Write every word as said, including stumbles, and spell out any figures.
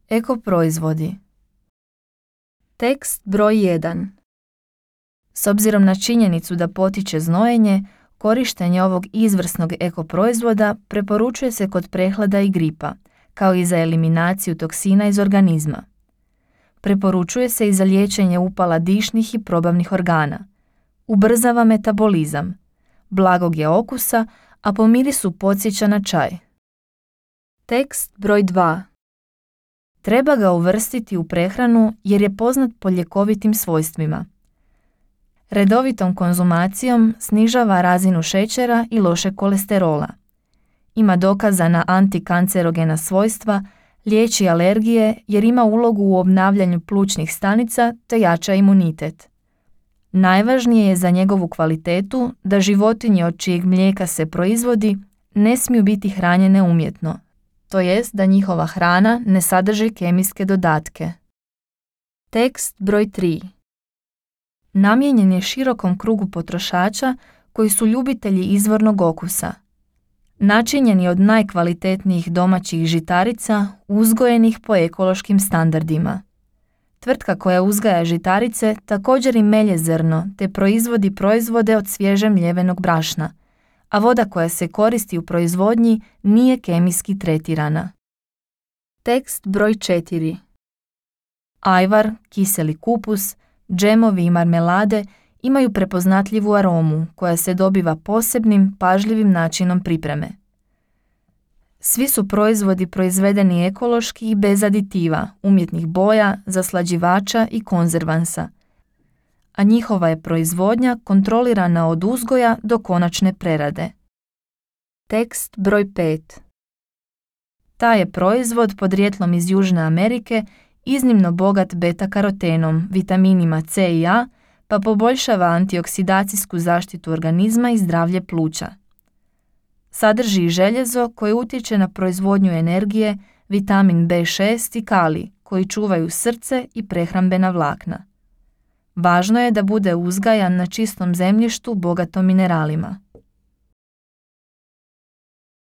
Eko proizvodi. Tekst broj jedan. S obzirom na činjenicu da potiče znojenje, korištenje ovog izvrsnog eko proizvoda preporučuje se kod prehlada i gripa, kao i za eliminaciju toksina iz organizma. Preporučuje se i za liječenje upala dišnih i probavnih organa. Ubrzava metabolizam. Blagog je okusa, a po mirisu podsjeća na čaj. Tekst broj dva. Treba ga uvrstiti u prehranu jer je poznat po ljekovitim svojstvima. Redovitom konzumacijom snižava razinu šećera i lošeg kolesterola. Ima dokazana antikancerogena svojstva, liječi alergije jer ima ulogu u obnavljanju plućnih stanica te jača imunitet. Najvažnije je za njegovu kvalitetu da životinje od čijeg mlijeka se proizvodi ne smiju biti hranjene umjetno, to jest da njihova hrana ne sadrži kemijske dodatke. Tekst broj tri. Namijenjen je širokom krugu potrošača koji su ljubitelji izvornog okusa. Načinjen je od najkvalitetnijih domaćih žitarica uzgojenih po ekološkim standardima. Tvrtka koja uzgaja žitarice također i melje zrno te proizvodi proizvode od svježe mljevenog brašna, a voda koja se koristi u proizvodnji nije kemijski tretirana. Tekst broj četiri. Ajvar, kiseli kupus, džemovi i marmelade imaju prepoznatljivu aromu koja se dobiva posebnim, pažljivim načinom pripreme. Svi su proizvodi proizvedeni ekološki i bez aditiva, umjetnih boja, zaslađivača i konzervansa, a njihova je proizvodnja kontrolirana od uzgoja do konačne prerade. Tekst broj pet. Taj je proizvod podrijetlom iz Južne Amerike iznimno bogat beta-karotenom, vitaminima C i A, pa poboljšava antioksidacijsku zaštitu organizma i zdravlje pluća. Sadrži i željezo koje utječe na proizvodnju energije, vitamin B šest i kalij koji čuvaju srce i prehrambena vlakna. Važno je da bude uzgajan na čistom zemljištu bogatom mineralima.